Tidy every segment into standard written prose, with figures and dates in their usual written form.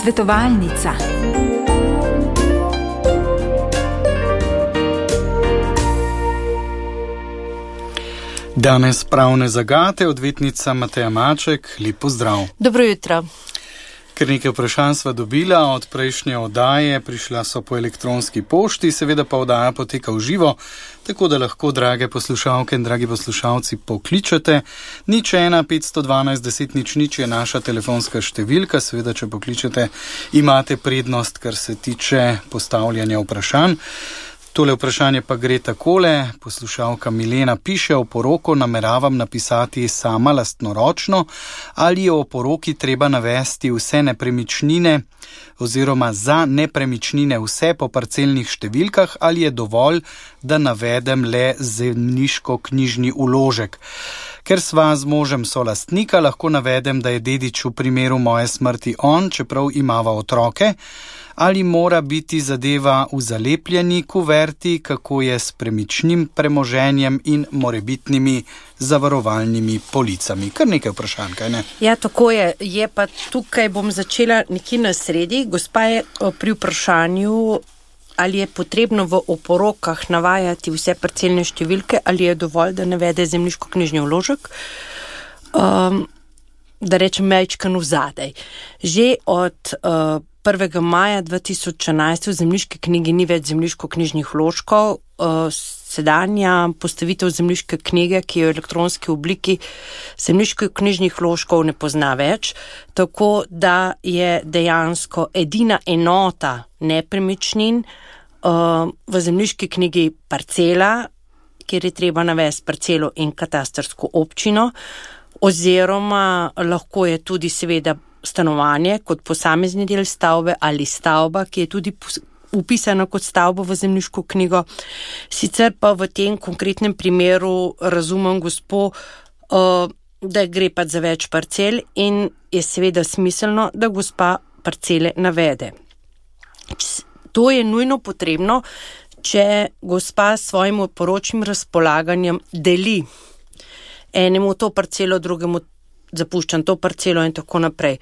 Svetovalnica. Danes pravne zagate, odvetnica Mateja Maček, lep pozdrav. Dobro jutro. Ker nekaj vprašanj sva dobila od prejšnje oddaje, prišla so po elektronski pošti, seveda pa oddaja poteka v živo, tako da lahko, drage poslušalke in dragi poslušalci, pokličete. 01 512 10 00 je naša telefonska številka, seveda, če pokličete, imate prednost, kar se tiče postavljanja vprašanj. Tole vprašanje pa gre takole. Poslušalka Milena piše: o poroko nameravam napisati sama lastnoročno, ali je o poroki treba navesti vse nepremičnine oziroma za nepremičnine vse po parcelnih številkah, ali je dovolj, da navedem le zemljiško-knjižni vložek. Ker sva z možem solastnika, lahko navedem, da je dedič v primeru moje smrti on, čeprav imava otroke. Ali mora biti zadeva v zalepljeni kuverti, kako je s premičnim premoženjem in morebitnimi zavarovalnimi policami? Kar nekaj vprašanj, kaj ne? Ja, tako je. Je pa tukaj bom začela nekje na sredi. Gospa je pri vprašanju, ali je potrebno v oporokah navajati vse parcelne številke, ali je dovolj, da navede zemljiško-knjižni vložek. Da rečem majčkano vzadej. Že od 1. maja 2011 v zemljiški knjigi ni več zemljiško-knjižnih vložkov. Sedanja postavitev zemljiške knjige, ki je v elektronski obliki, zemljiško-knjižnih vložkov ne pozna več, tako da je dejansko edina enota nepremičnin v zemljiški knjigi parcela, kjer je treba navesti parcelo in katastrsko občino, oziroma lahko je tudi seveda stanovanje kot posamezni del stavbe ali stavba, ki je tudi upisana kot stavba v zemljiško knjigo. Sicer pa v tem konkretnem primeru razumem gospo, da gre pa za več parcel in je seveda smiselno, da gospa parcele navede. To je nujno potrebno, če gospa s svojim poročnim razpolaganjem deli enemu to parcelo, drugemu zapuščam to parcelo in tako naprej.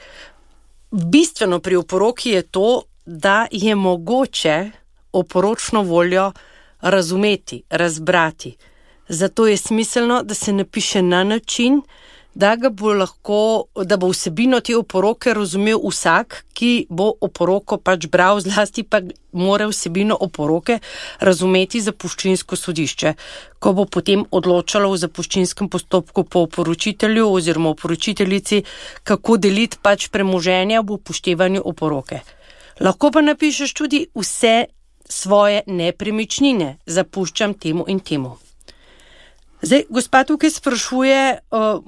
Bistveno pri oporoki je to, da je mogoče oporočno voljo razumeti, razbrati. Zato je smiselno, da se napiše na način, da bo vsebino te oporoke razumel vsak, ki bo oporoko pač bral, zlasti pa mora vsebino oporoke razumeti zapuščinsko sodišče, ko bo potem odločalo v zapuščinskem postopku po oporočitelju oziroma oporočiteljici, kako deliti pač premoženja v upoštevanju oporoke. Lahko pa napišeš tudi vse svoje nepremičnine, zapuščam temu in temu. Zdaj, gospa tukaj sprašuje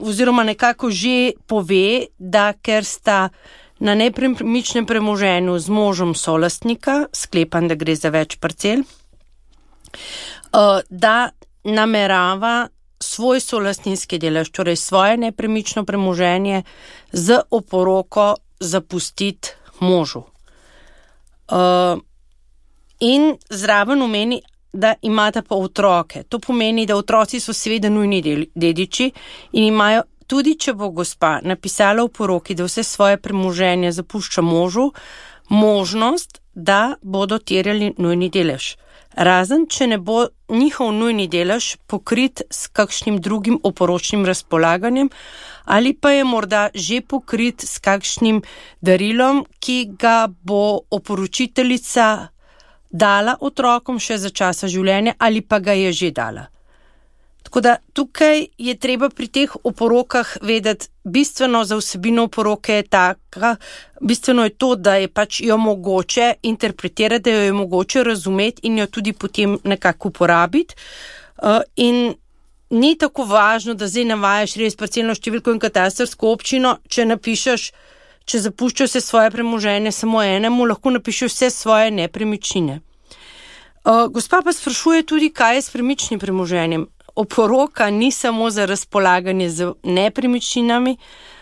oziroma nekako že pove, da ker sta na nepremičnem premoženju z možem solastnika, sklepam, da gre za več parcel, da namerava svoj solastninski delež, torej svoje nepremično premoženje z oporoko zapustiti možu. In zraven omeni, da imata pa otroke. To pomeni, da otroci so seveda nujni dediči in imajo, tudi če bo gospa napisala v poroki, da vse svoje premoženje zapušča možu, možnost, da bodo terjali nujni delež. Razen, če ne bo njihov nujni delež pokrit s kakšnim drugim oporočnim razpolaganjem ali pa je morda že pokrit s kakšnim darilom, ki ga bo oporočiteljica dala otrokom še za časa življenja ali pa ga je že dala. Tako da tukaj je treba pri teh oporokah vedeti, bistveno za vsebino oporoke je taka, bistveno je to, da je pač jo mogoče interpretirati, da jo je mogoče razumeti in jo tudi potem nekako uporabiti. In ni tako važno, da zdaj navajaš res parcelno številko in katastrsko občino, če napišeš, če zapuščaš vse svoje premoženje samo enemu, lahko napišeš vse svoje nepremičnine. Gospa pa sprašuje tudi, kaj je s premičnim premoženjem. Oporoka ni samo za razpolaganje z nepremičninami,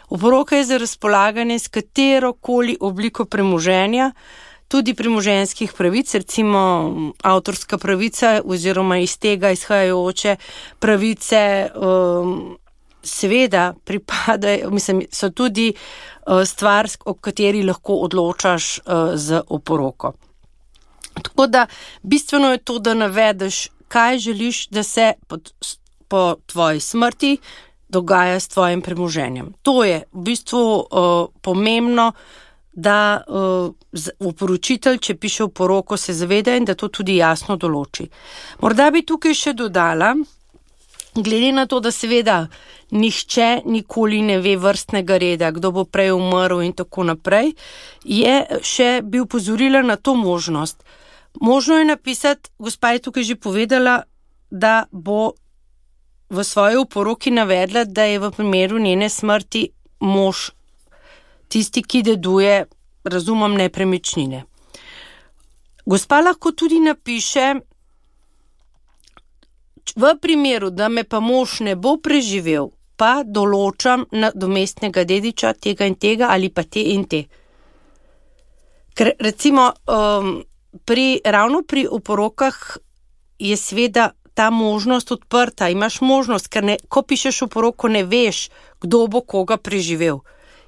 oporoka je za razpolaganje s katerokoli obliko premoženja, tudi premoženjskih pravic, recimo avtorska pravica oziroma iz tega izhajajoče pravice seveda pripadajo, so tudi stvar, o kateri lahko odločaš z oporoko. Tako da bistveno je to, da navedeš, kaj želiš, da se po tvoji smrti dogaja s tvojim premoženjem. To je v bistvu pomembno, da oporočitelj, če piše oporoko, se zaveda in da to tudi jasno določi. Morda bi tukaj še dodala, glede na to, da seveda nihče nikoli ne ve vrstnega reda, kdo bo prej umrl in tako naprej, bi upozorila na to možnost. Možno je napisati, gospa je tukaj že povedala, da bo v svoji oporoki navedla, da je v primeru njene smrti mož tisti, ki deduje, razumem, nepremičnine. Gospa lahko tudi napiše, v primeru, da me pa mož ne bo preživel, pa določam nadomestnega dediča tega in tega ali pa te in te. Ker recimo ravno pri oporokah je seveda ta možnost odprta, imaš možnost, ker ko pišeš oporoko, ne veš, kdo bo koga preživel.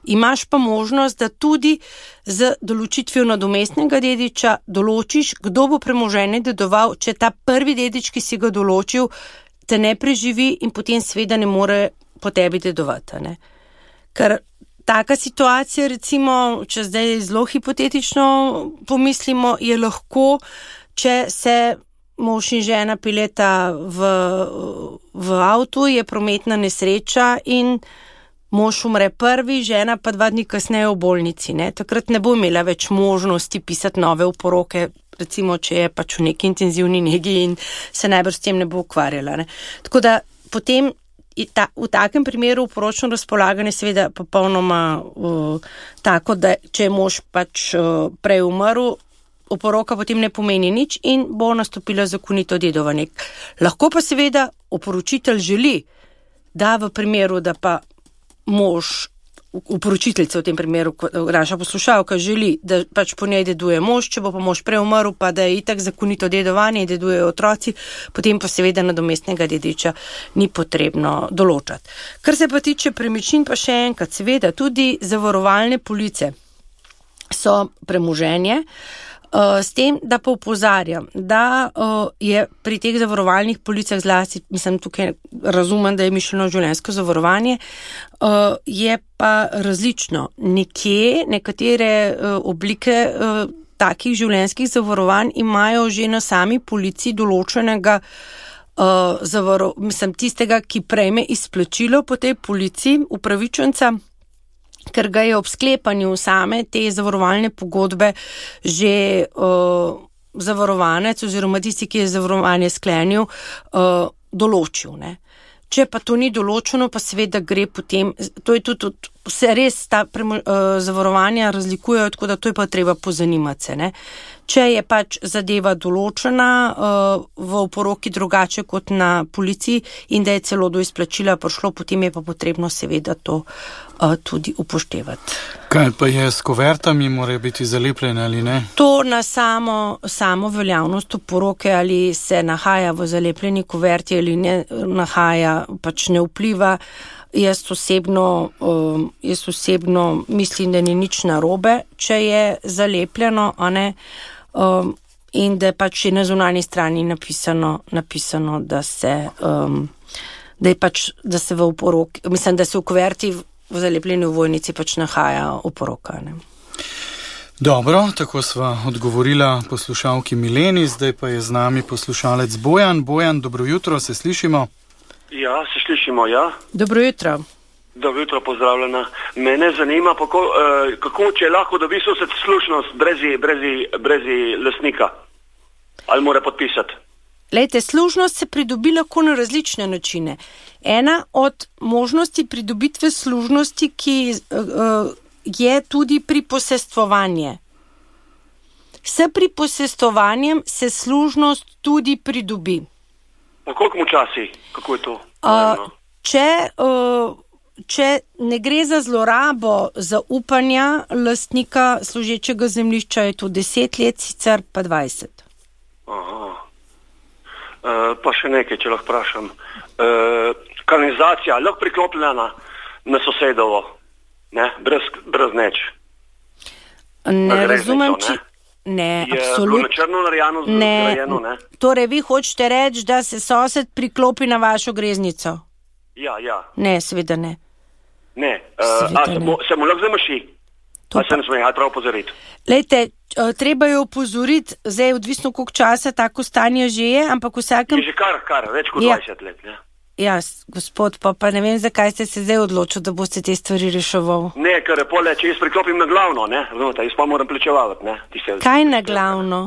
Imaš pa možnost, da tudi z določitvijo nadomestnega dediča določiš, kdo bo premoženje dedoval, če ta prvi dedič, ki si ga določil, te ne preživi in potem seveda ne more po tebi dedovati. Ne? Ker taka situacija, recimo, če zdaj zelo hipotetično pomislimo, je lahko, če se mož in žena peljeta v avtu, je prometna nesreča in mož umre prvi, žena pa 2 dni kasneje v bolnici. Ne? Takrat ne bo imela več možnosti pisati nove oporoke, recimo, če je pač v neki intenzivni negi in se najbrž s tem ne bo ukvarjala. Ne? Tako da potem v takem primeru oporočno razpolaganje seveda popolnoma tako, da če je mož pač prej umrl, oporoka potem ne pomeni nič in bo nastopila zakonito dedovanje. Lahko pa seveda oporočitelj želi, da v primeru, da pa mož, oporočiteljica v tem primeru, naša poslušalka želi, da pač po njej deduje mož, če bo pa mož prej umrl, pa da je itak zakonito dedovanje in dedujejo otroci, potem pa seveda nadomestnega dediča ni potrebno določati. Kar se pa tiče premičnin, pa še enkrat, seveda tudi zavarovalne police so premoženje, s tem, da pa opozarjam, da je pri teh zavarovalnih policah zlasti, tukaj razumem, da je mišljeno življenjsko zavarovanje, je pa različno. Nekatere oblike takih življenjskih zavarovanj imajo že na sami polici določenega tistega, ki prejme izplačilo po tej polici, upravičenca, ker ga je ob sklepanju same te zavarovalne pogodbe že zavarovanec oziroma tisti, ki je zavarovanje sklenil, določil. Ne? Če pa to ni določeno, pa seveda gre potem, to je tudi, se res ta zavarovanja razlikujejo, tako da to je pa treba pozanimati se. Ne? Če je pač zadeva določena v oporoki drugače kot na policiji in da je celo do izplačila prišlo, potem je pa potrebno seveda to tudi upoštevati. Kaj pa je s kuvertami, morajo biti zalepljene ali ne? To na samo veljavnost oporoke, ali se nahaja v zalepljeni kuverti ali ne nahaja, pač ne vpliva. Jaz osebno mislim, da ni nič narobe, če je zalepljeno, a ne, in da je pač na zunanji strani napisano, da se v oporoki, da se v kuverti v zalepljeni ovojnici pač nahaja oporoka. Ne. Dobro, tako sva odgovorila poslušalki Mileni, zdaj pa je z nami poslušalec Bojan. Bojan, dobro jutro, se slišimo? Ja, se slišimo, ja. Dobro jutro. Dobro jutro, pozdravljena. Mene zanima, kako če lahko dobi sosed slušnost brez lastnika. Ali mora podpisati? Lejte, služnost se pridobi lahko na različne načine. Ena od možnosti pridobitve služnosti, ki je tudi priposestvovanje. S priposestvovanjem se služnost tudi pridobi. Po koliko časi? Kako je to? Če ne gre za zlorabo zaupanja lastnika služečega zemljišča, je to 10 let, sicer pa 20. Aha. Pa še nekaj, če lahko vprašam. kanalizacija lahko priklopljena na sosedovo, ne, brez neč. Ne razumem, če... Ne, absolutno. Je črno narejeno, zgrajeno, ne. Torej, vi hočete reči, da se sosed priklopi na vašo greznico? Ja. Ne, seveda ne. Ne, se mu lahko zamaši? Pa se ne sme, prav opozoriti. Lejte, treba je opozoriti, zdaj odvisno koliko časa tako stanje že je, ampak vsakem... Je že kar, več kot 20 let, ne. Ja, gospod, pa ne vem, zakaj ste se zdaj odločili, da boste te stvari reševal. Ne, ker je pole, če jaz priklopim na glavno, ne, razumete, jaz pa moram plačevati, ne. Kaj na glavno?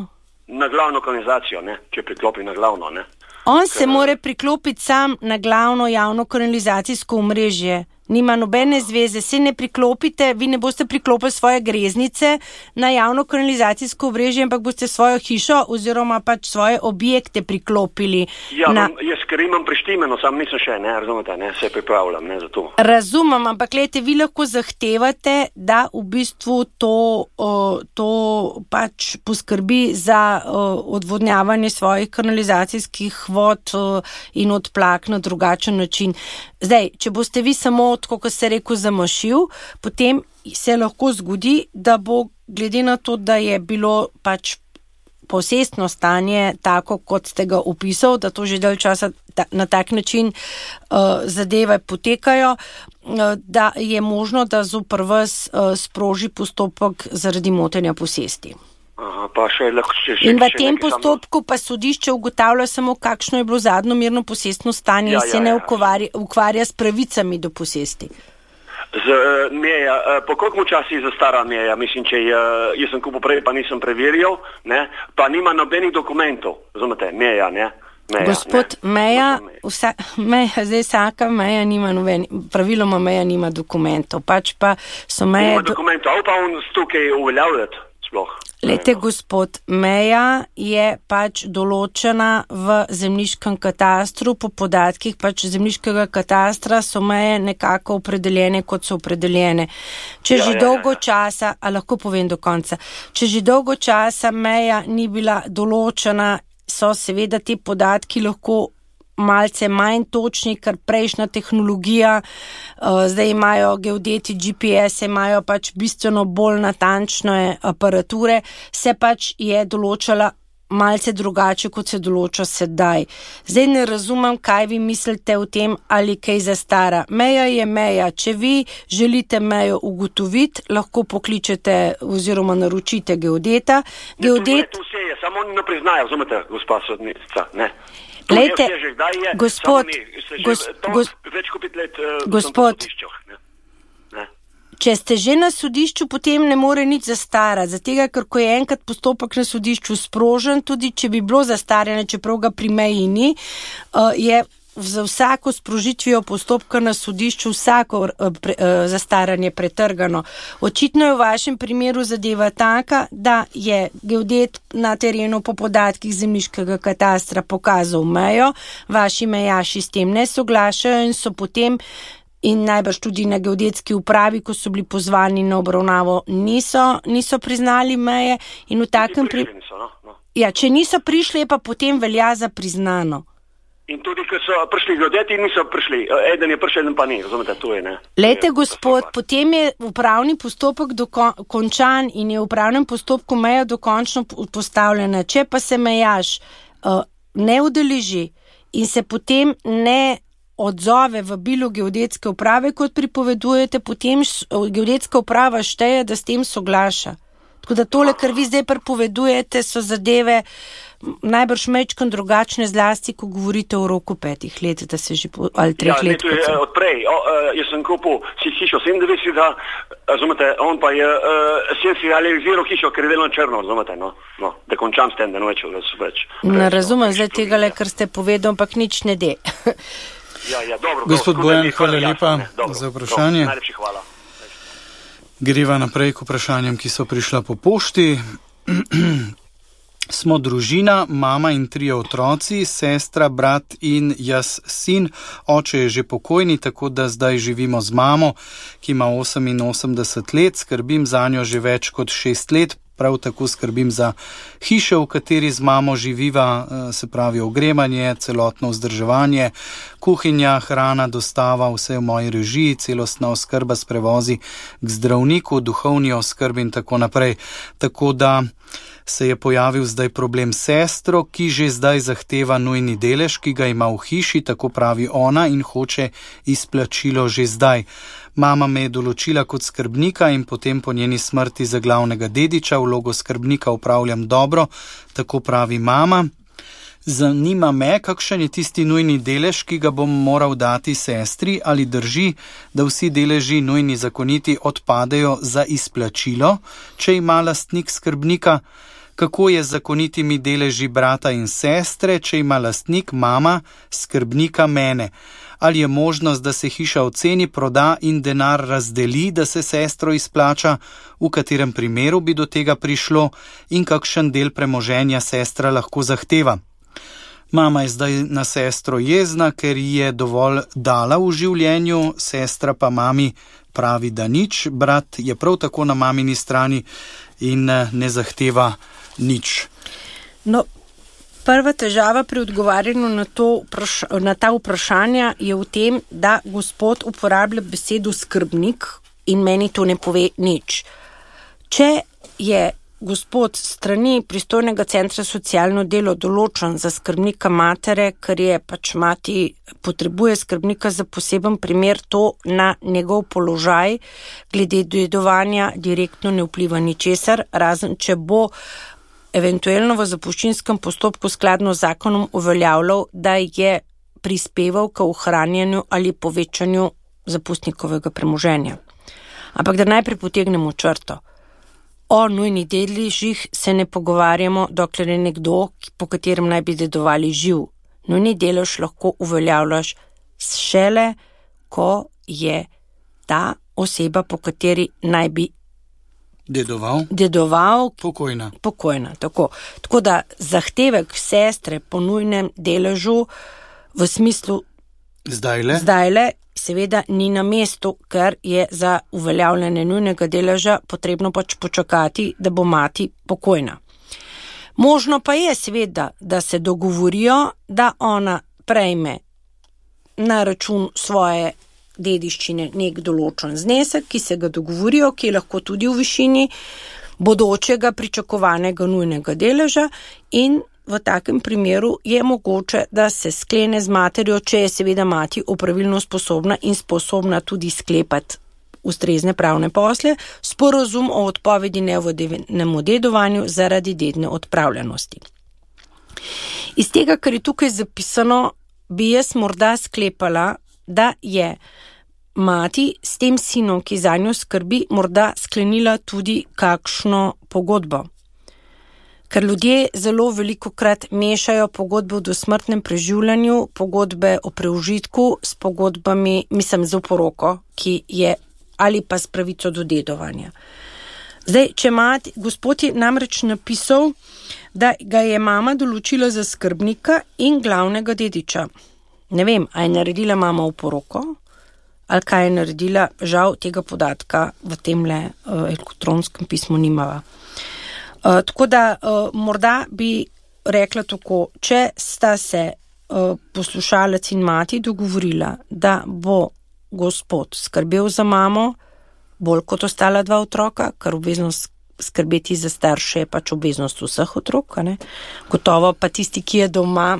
Na glavno kanalizacijo, ne, če priklopim na glavno, ne. On se more priklopiti sam na glavno javno kanalizacijsko omrežje. Nima nobene zveze, se ne priklopite, vi ne boste priklopili svoje greznice na javno kanalizacijsko omrežje, ampak boste svojo hišo oziroma pač svoje objekte priklopili. Ja, jaz ker imam prištimeno, sam nisem še, ne, razumete, ne, se pripravljam, ne, za to. Razumem, ampak gledajte, vi lahko zahtevate, da v bistvu to pač poskrbi za odvodnjavanje svojih kanalizacijskih vod in odplak na drugačen način. Zdaj, če boste vi samo, kot se rekel, zamašil, potem se lahko zgodi, da bo glede na to, da je bilo pač posestno stanje tako, kot ste ga opisal, da to že dalj časa na tak način zadeve potekajo, da je možno, da zoper vas sproži postopek zaradi motenja posesti. Aha, pa še lahko in v tem postopku pa sodišče ugotavlja samo, kakšno je bilo zadnjo mirno posestno stanje in se ne ukvarja s pravicami do posesti. Meja, po koliko časi zastara meja? Mislim, če jaz sem kupil prej, pa nisem preverjal, ne, pa nima nobenih dokumentov, razumete, meja, ne. Gospod, meja, zdaj vsaka meja nima praviloma meja nima dokumentov, pač pa so meje... Nima dokumentov, ali pa on tukaj uveljavljati sploh? Lejte, gospod, meja je pač določena v zemljiškem katastru, po podatkih pač zemljiškega katastra so meje nekako opredeljene, kot so opredeljene. Če že dolgo časa, a lahko povem do konca, če že dolgo časa meja ni bila določena, so seveda ti podatki lahko malce manj točni, ker prejšnja tehnologija, zdaj imajo geodeti GPS, imajo pač bistveno bolj natančne aparature, se pač je določala malce drugače, kot se določa sedaj. Zdaj ne razumem, kaj vi mislite o tem, ali kaj zastara. Meja je meja. Če vi želite mejo ugotoviti, lahko pokličete oziroma naročite geodeta. Geodet... To vse je, samo oni ne priznajo, razumete, gospa sodnica, ne. Lejte, gospod, če ste že na sodišču, potem ne more nič zastarati, zatega, ker ko je enkrat postopek na sodišču sprožen, tudi če bi bilo zastarjeno, čeprav ga pri meji ni, je za vsako sprožitvijo postopka na sodišču vsako zastaranje pretrgano. Očitno je v vašem primeru zadeva taka, da je geodet na terenu po podatkih zemljiškega katastra pokazal mejo, vaši mejaši s tem ne soglašajo in so potem in najbrž tudi na geodetski upravi, ko so bili pozvani na obravnavo, niso priznali meje in v takem Ja, če niso prišli, pa potem velja za priznano. In tudi, ko so prišli geodeti, niso prišli. Eden je prišel, eden pa ni. Razumete, to je, ne. Lejte, gospod, potem je upravni postopek končan in je v upravnem postopku meja dokončno postavljena. Če pa se mejaš ne udeleži in se potem ne odzove v bilo geodetske uprave, kot pripovedujete, potem geodetska uprava šteje, da s tem soglaša. Tako da tole, kar vi zdaj pripovedujete, so zadeve najbrž mečkam drugačne, zlasti, ko govorite o roku 5 let, da se že ali 3 let. Ja, to je odprej. Jaz sem kupil si hišo 97, razumete, on pa je sem si realiziral hišo, ker je delno črno, razumete, no, da končam s tem, da ne več. Ne razumem zdaj tega, kar ste povedal, ampak nič ne de. Ja, dobro. Gospod Bojan, hvala lepa za vprašanje. Najlepši hvala. Greva naprej k vprašanjem, ki so prišla po pošti. Smo družina, mama in 3 otroci, sestra, brat in jaz sin. Oče je že pokojni, tako da zdaj živimo z mamo, ki ima 88 let. Skrbim zanjo že več kot 6 let. prav tako skrbim za hišo, v kateri z mamo živiva, se pravi ogrevanje, celotno vzdrževanje, kuhinja, hrana, dostava, vse v moji režiji, celostna oskrba s prevozi k zdravniku, duhovni oskrbi in tako naprej. Tako da se je pojavil zdaj problem s sestro, ki že zdaj zahteva nujni delež, ki ga ima v hiši, tako pravi ona, in hoče izplačilo že zdaj. Mama me je določila kot skrbnika in potem po njeni smrti za glavnega dediča. Vlogo skrbnika upravljam dobro, tako pravi mama. Zanima me, kakšen je tisti nujni delež, ki ga bom moral dati sestri, ali drži, da vsi deleži nujni zakoniti odpadejo za izplačilo, če ima lastnik skrbnika. Kako je z zakonitimi deleži brata in sestre, če ima lastnik, mama, skrbnika, mene? Ali je možnost, da se hiša oceni, proda in denar razdeli, da se sestro izplača, v katerem primeru bi do tega prišlo in kakšen del premoženja sestra lahko zahteva? Mama je zdaj na sestro jezna, ker ji je dovolj dala v življenju, sestra pa mami pravi, da nič, brat je prav tako na mamini strani in ne zahteva nič. No, prva težava pri odgovarjanju na ta vprašanja je v tem, da gospod uporablja besedo skrbnik in meni to ne pove nič. Če je gospod strani pristojnega centra socialno delo določen za skrbnika matere, ker je pač mati potrebuje skrbnika za poseben primer, to na njegov položaj glede dedovanja direktno ne vpliva ničesar, razen če bo eventualno v zapuščinskem postopku skladno z zakonom uveljavljal, da je prispeval k ohranjanju ali povečanju zapustnikovega premoženja. Ampak da najprej potegnemo črto. O nujnih deležih se ne pogovarjamo, dokler je nekdo, po katerem naj bi dedovali, živ. Nujni delež lahko uveljavljaš šele, ko je ta oseba, po kateri naj bi dedoval pokojna. Tako da zahtevek sestre po nujnem deležu v smislu zdajle seveda ni na mestu, ker je za uveljavljanje nujnega deleža potrebno pač počakati, da bo mati pokojna. Možno pa je seveda, da se dogovorijo, da ona prejme na račun svoje dediščine nek določen znesek, ki se ga dogovorijo, ki je lahko tudi v višini bodočega pričakovanega nujnega deleža, in v takem primeru je mogoče, da se sklene z materjo, če je seveda mati opravilno sposobna in sposobna tudi sklepati ustrezne pravne posle, sporazum o odpovedi nevodnemu dedovanju zaradi dedne odpravljenosti. Iz tega, kar je tukaj zapisano, bi jaz morda sklepala, da je mati s tem sinom, ki za njo skrbi, morda sklenila tudi kakšno pogodbo. Ker ljudje zelo velikokrat mešajo pogodbe o dosmrtnem preživljanju, pogodbe o preužitku s pogodbami, z oporoko, ki je, ali pa s pravico do dedovanja. Zdaj, če gospod je namreč napisal, da ga je mama določila za skrbnika in glavnega dediča. Ne vem, a je naredila mama oporoko, ali kaj je naredila, žal tega podatka v temle elektronskem pismu nimava. Tako da morda bi rekla tako, če sta se poslušalec in mati dogovorila, da bo gospod skrbel za mamo, bolj kot ostala dva otroka, ker obveznost skrbeti za starše je pač obveznost vseh otrok, ne? Gotovo pa tisti, ki je doma,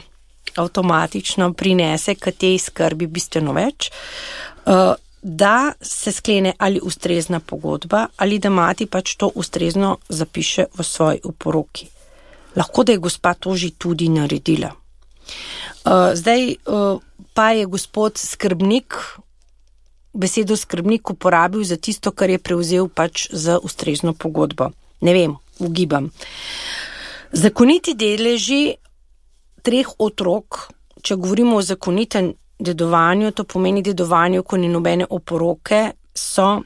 avtomatično prinese k tej skrbi bistveno več, da se sklene ali ustrezna pogodba, ali da mati pač to ustrezno zapiše v svoji oporoki. Lahko, da je gospa to že tudi naredila. Zdaj pa je gospod skrbnik besedo skrbnik uporabil za tisto, kar je prevzel pač za ustrezno pogodbo. Ne vem, ugibam. Zakoniti deleži 3 otrok, če govorimo o zakonitem dedovanju, to pomeni dedovanju, ko ni nobene oporoke, so,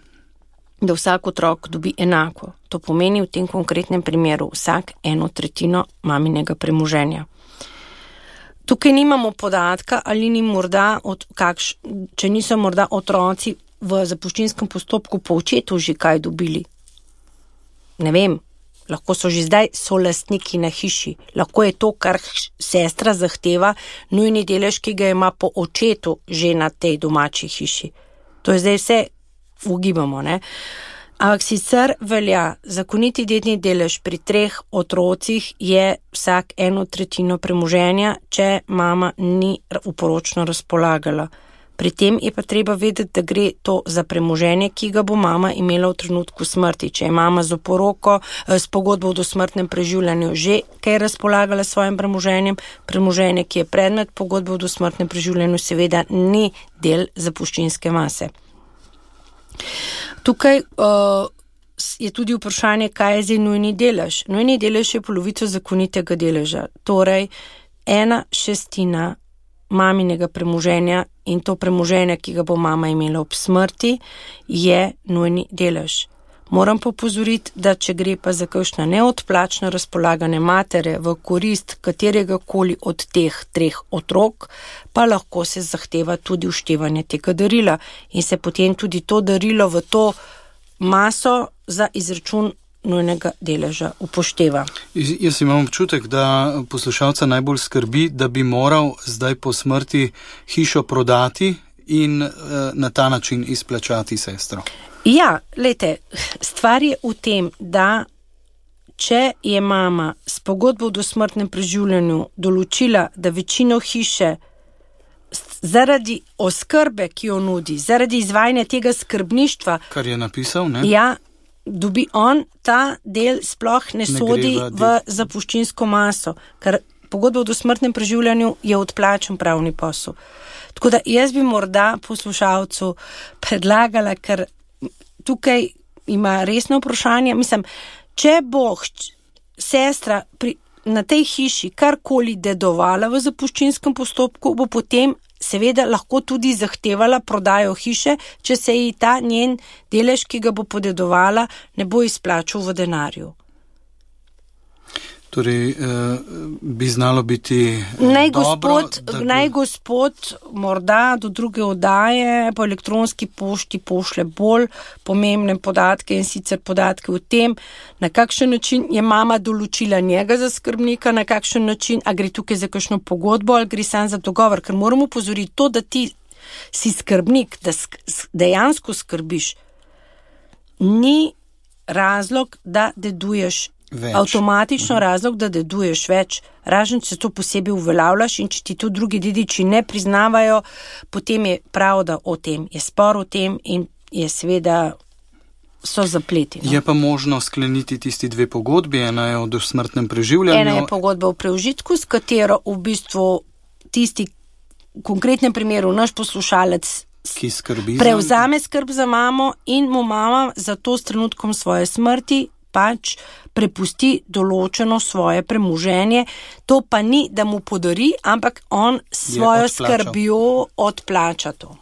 da vsak otrok dobi enako. To pomeni v tem konkretnem primeru vsak 1/3 maminega premoženja. Tukaj nimamo podatka, ali ni morda, če niso morda otroci v zapuščinskem postopku po očetu že kaj dobili. Ne vem, lahko so že zdaj solastniki na hiši. Lahko je to, kar sestra zahteva, nujni delež, ki ga ima po očetu že na tej domači hiši. To je zdaj vse ugibamo, ne? Ampak sicer velja, zakoniti dedni delež pri 3 otrocih je vsak 1/3 premoženja, če mama ni uporočno razpolagala. Pri tem je pa treba vedeti, da gre to za premoženje, ki ga bo mama imela v trenutku smrti. Če je mama z oporoko, s pogodbo o dosmrtnem preživljanju že kaj razpolagala s svojim premoženjem, premoženje, ki je predmet pogodbe o dosmrtnem preživljanju, seveda ni del zapuščinske mase. Tukaj je tudi vprašanje, kaj je zdaj nujni delež. Nujni delež je polovica zakonitega deleža, torej 1/6 maminega premoženja in to premoženje, ki ga bo mama imela ob smrti, je nujni delež. Moram pa opozoriti, da če gre pa za kakšna neodplačna razpolagane matere v korist katerega koli od teh 3 otrok, pa lahko se zahteva tudi uštevanje tega darila in se potem tudi to darilo v to maso za izračun nujnega deleža upošteva. Jaz imam občutek, da poslušalca najbolj skrbi, da bi moral zdaj po smrti hišo prodati in na ta način izplačati sestro. Ja, lejte, stvar je v tem, da če je mama s pogodbo o dosmrtnem preživljanju določila, da večino hiše zaradi oskrbe, ki jo nudi, zaradi izvajanja tega skrbništva, kar je napisal, ne? Ja, dobi on, ta del sploh ne sodi v zapuščinsko maso, ker pogodba o dosmrtnem preživljanju je odplačen pravni posel. Tako da jaz bi morda poslušalcu predlagala, ker tukaj ima resno vprašanje, mislim, če bo sestra na tej hiši karkoli dedovala v zapuščinskem postopku, bo potem seveda lahko tudi zahtevala prodajo hiše, če se ji ta njen delež, ki ga bo podedovala, ne bo izplačal v denarju. Torej, bi znalo biti Naj gospod morda do druge oddaje po elektronski pošti pošlje bolj pomembne podatke in sicer podatke o tem, na kakšen način je mama določila njega za skrbnika, na kakšen način, a gre tukaj za kakšno pogodbo ali gre sam za dogovor, ker moramo upozoriti to, da ti si skrbnik, da dejansko skrbiš, ni razlog, da deduješ več. Avtomatično razlog, da deduješ več, razen če to posebej uveljavljaš in če ti to drugi dediči ne priznavajo, potem je prav, da o tem je spor o tem in je seveda so zapleti. No? Je pa možno skleniti tisti 2 pogodbi, ena je o dosmrtnem preživljanju. Ena je pogodba o preužitku, s katero v bistvu tisti, v konkretnem primeru naš poslušalec, ki skrbi prevzame skrb za mamo in mu mama za to s trenutkom svoje smrti pač prepusti določeno svoje premoženje. To pa ni, da mu podari, ampak on svojo skrbjo odplača to.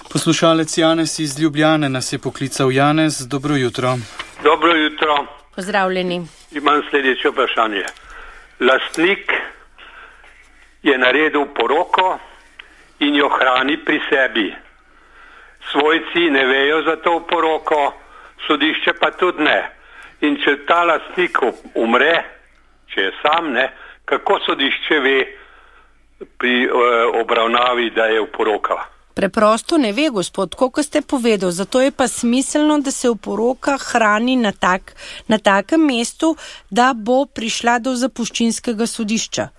Poslušalec Janez iz Ljubljane nas je poklical. Janez, dobro jutro. Dobro jutro. Pozdravljeni. Imam sledeče vprašanje. Lastnik je naredil poroko in jo hrani pri sebi. Svojci ne vejo za to poroko, sodišče pa tudi ne. In če ta lastnik umre, če je sam, ne, kako sodišče ve pri obravnavi, da je oporoka? Preprosto ne ve, gospod, koliko ste povedal. Zato je pa smiselno, da se oporoka hrani na takem mestu, da bo prišla do zapuščinskega sodišča.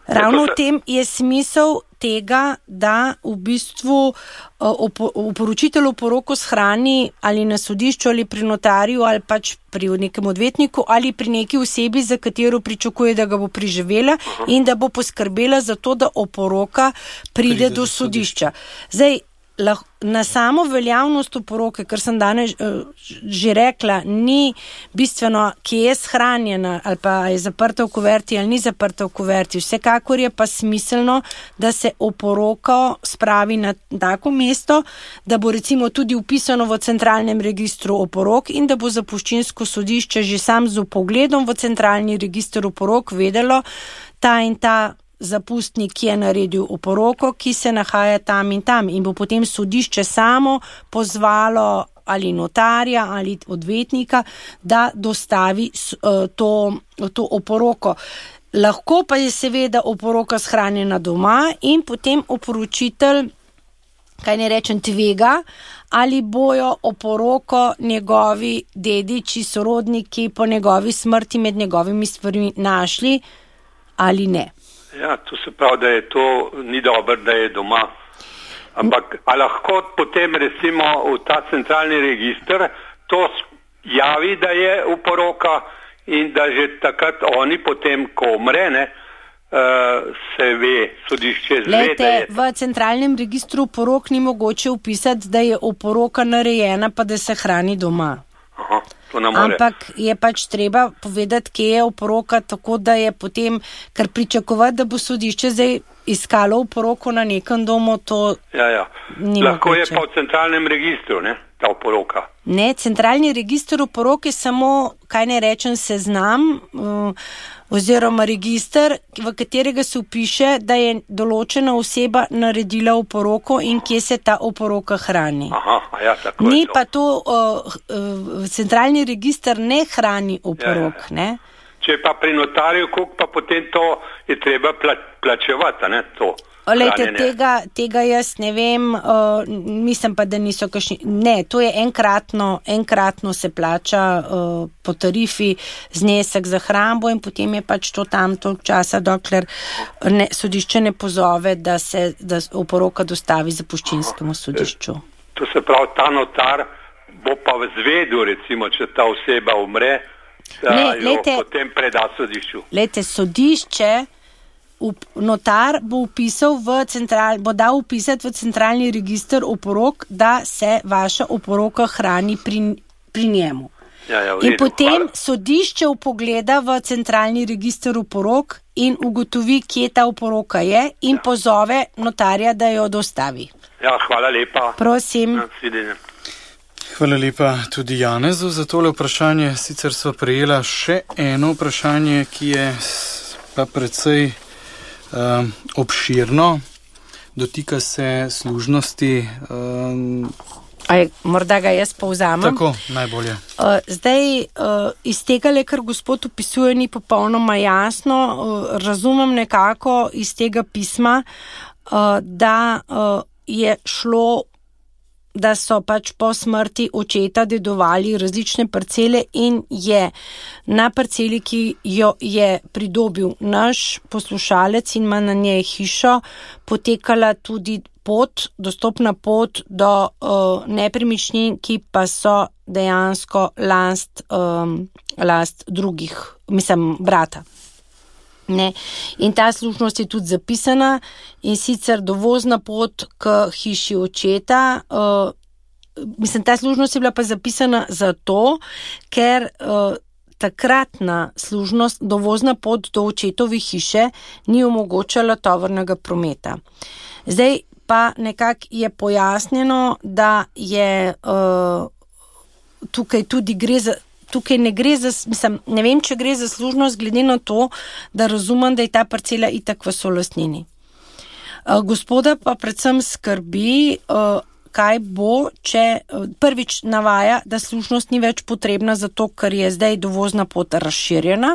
Ravno v tem je smisel tega, da v bistvu oporočitelj oporoko shrani ali na sodišču ali pri notarju ali pač pri nekem odvetniku ali pri neki osebi, za katero pričakuje, da ga bo preživela in da bo poskrbela za to, da oporoka pride do sodišča. Zdaj, na samo veljavnost oporoke, kar sem danes že rekla, ni bistveno, kje je shranjena ali pa je zaprta v kuverti ali ni zaprta v kuverti. Vsekakor je pa smiselno, da se oporoko spravi na tako mesto, da bo recimo tudi upisano v centralnem registru oporok in da bo zapuščinsko sodišče že sam z vpogledom v centralni register oporok vedelo, ta in ta zapustnik je naredil oporoko, ki se nahaja tam in tam in bo potem sodišče samo pozvalo ali notarja ali odvetnika, da dostavi to oporoko. Lahko pa je seveda oporoka shranjena doma in potem oporočitelj, kaj ne rečem, tvega, ali bojo oporoko njegovi dediči, sorodniki po njegovi smrti med njegovimi stvarmi našli ali ne. Ja, to se pravi, da je to ni dobro, da je doma. Ampak, a lahko potem recimo v ta centralni register to javi, da je oporoka in da že takrat oni potem, ko umre, ne, se ve, sodišče zve, da je... V centralnem registru oporok ni mogoče upisati, da je oporoka narejena, pa da se hrani doma. Aha, to ne more. Ampak je pač treba povedati, kje je oporoka, tako da je potem, kar pričakovati, da bo sodišče zdaj iskalo oporoko na nekem domu, to ni lahko mogoče. Je pa v centralnem registru, ne, ta oporoka. Ne, centralni register oporok je samo, kaj ne rečem, seznam oziroma register, v katerega se vpiše, da je določena oseba naredila oporoko in kje se ta oporoka hrani. Aha, ja, tako ni je to. Pa to, centralni register ne hrani oporok, ne? Če pa pri notarju, koliko pa potem to je treba plačevati, ne, to. Lejte, tega jaz ne vem, mislim pa, da niso kakšni, ne, to je enkratno se plača po tarifi znesek za hrambo in potem je pač to tam toliko časa, dokler sodišče ne pozove, da oporoka dostavi zapuščinskemu sodišču. To se pravi, ta notar bo pa zvedel, recimo, če ta oseba umre, da jo potem preda sodišču. Lejte, sodišče, notar bo dal upisati v centralni register oporok, da se vaša oporoka hrani pri njemu. In potem sodišče vpogleda v centralni register oporok in ugotovi, kje ta oporoka je in pozove notarja, da jo dostavi. Ja, hvala lepa. Prosim. Hvala lepa tudi Janezu za tole vprašanje. Sicer sva prejela še eno vprašanje, ki je pa precej obširno, dotika se služnosti. Morda ga jaz povzamem. Tako, najbolje. Zdaj, iz tega, kar gospod opisuje, ni popolnoma jasno. Razumem nekako iz tega pisma, da je šlo, da so pač po smrti očeta dedovali različne parcele in je na parceli, ki jo je pridobil naš poslušalec in ima na njej hišo, potekala tudi dostopna pot do nepremičnin, ki pa so dejansko last drugih, brata. Ne. In ta služnost je tudi zapisana in sicer dovozna pot k hiši očeta. Ta služnost je bila pa zapisana zato, ker takratna služnost, dovozna pot do očetove hiše ni omogočala tovornega prometa. Zdaj pa nekako je pojasnjeno, da je tukaj tudi gre za tukaj ne gre za, ne vem, če gre za služnost, glede na to, da razumem, da je ta parcela itak v solastnini. Gospoda pa predvsem skrbi, kaj bo, če prvič navaja, da služnost ni več potrebna zato, ker je zdaj dovozna pot razširjena,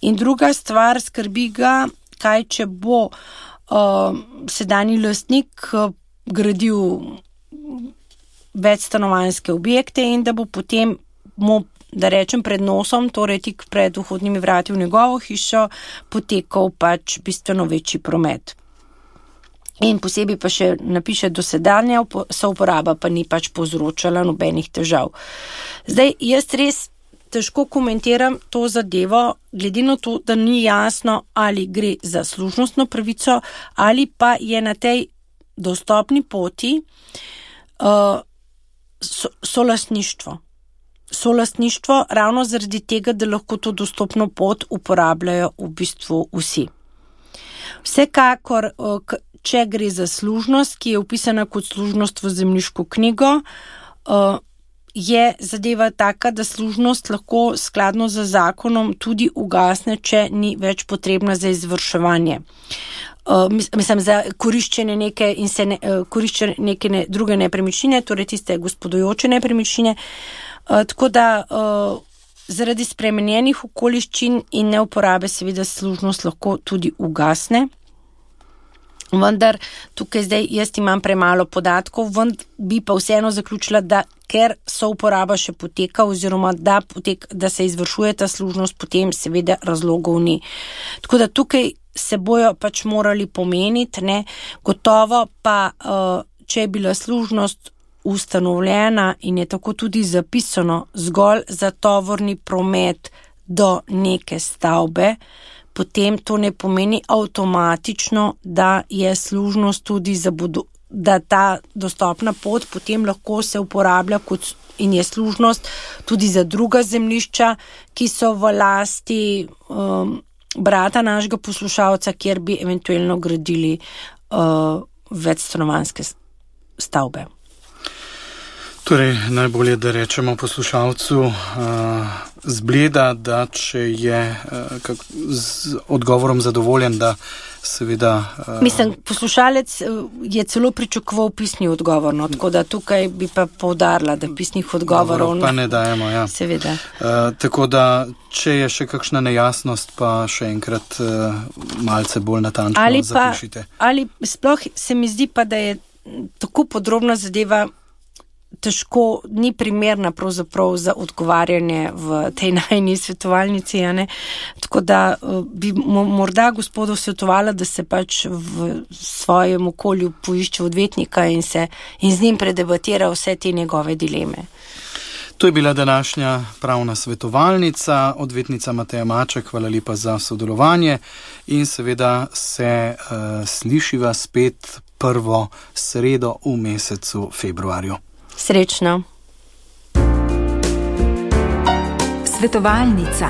in druga stvar, skrbi ga, kaj če bo sedanji lastnik gradil večstanovanjske objekte in da bo potem da rečem pred nosom, torej tik pred vhodnimi vrati v njegovo hišo, potekal pač bistveno večji promet. In posebej pa še napiše, dosedanja souporaba pa ni pač povzročala nobenih težav. Zdaj, jaz res težko komentiram to zadevo, glede na to, da ni jasno, ali gre za služnostno pravico, ali pa je na tej dostopni poti solastništvo. Solastništvo ravno zaradi tega, da lahko to dostopno pot uporabljajo v bistvu vsi. Vsekakor, če gre za služnost, ki je upisana kot služnost v zemljiško knjigo, je zadeva taka, da služnost lahko skladno z zakonom tudi ugasne, če ni več potrebna za izvrševanje. Mislim, za koriščenje neke druge nepremičnine, torej tiste gospodujoče nepremičnine. Tako da zaradi spremenjenih okoliščin in neuporabe seveda služnost lahko tudi ugasne. Vendar tukaj zdaj jaz imam premalo podatkov, bi pa vseeno zaključila, da ker so uporaba še poteka oziroma da se izvršuje ta služnost, potem seveda razlogov ni. Tako da tukaj se bojo pač morali pomeniti, ne, gotovo pa, če je bila služnost ustanovljena in je tako tudi zapisano zgolj za tovorni promet do neke stavbe, potem to ne pomeni avtomatično, da je služnost tudi da ta dostopna pot potem lahko se uporablja in je služnost tudi za druga zemljišča, ki so v lasti brata našega poslušalca, kjer bi eventualno gradili večstanovanjske stavbe. Torej, najbolje, da rečemo poslušalcu zbleda, da če je z odgovorom zadovoljen, da seveda... Mislim, poslušalec je celo pričakoval pisni odgovor, no, tako da tukaj bi pa poudarila, da pisnih odgovorov pa ne dajemo, ja. Seveda. Tako da, če je še kakšna nejasnost, pa še enkrat malce bolj natančno zapišite. Ali sploh se mi zdi pa, da je tako podrobna zadeva težko, ni primerna pravzaprav za odgovarjanje v tej najni svetovalnici, ne? Tako da bi morda gospodu svetovala, da se pač v svojem okolju poišče odvetnika in z njim predebatira vse te njegove dileme. To je bila današnja pravna svetovalnica, odvetnica Mateja Maček, hvala lepa za sodelovanje in seveda se slišiva spet prvo sredo v mesecu februarju. Srečno. Svetovalnica.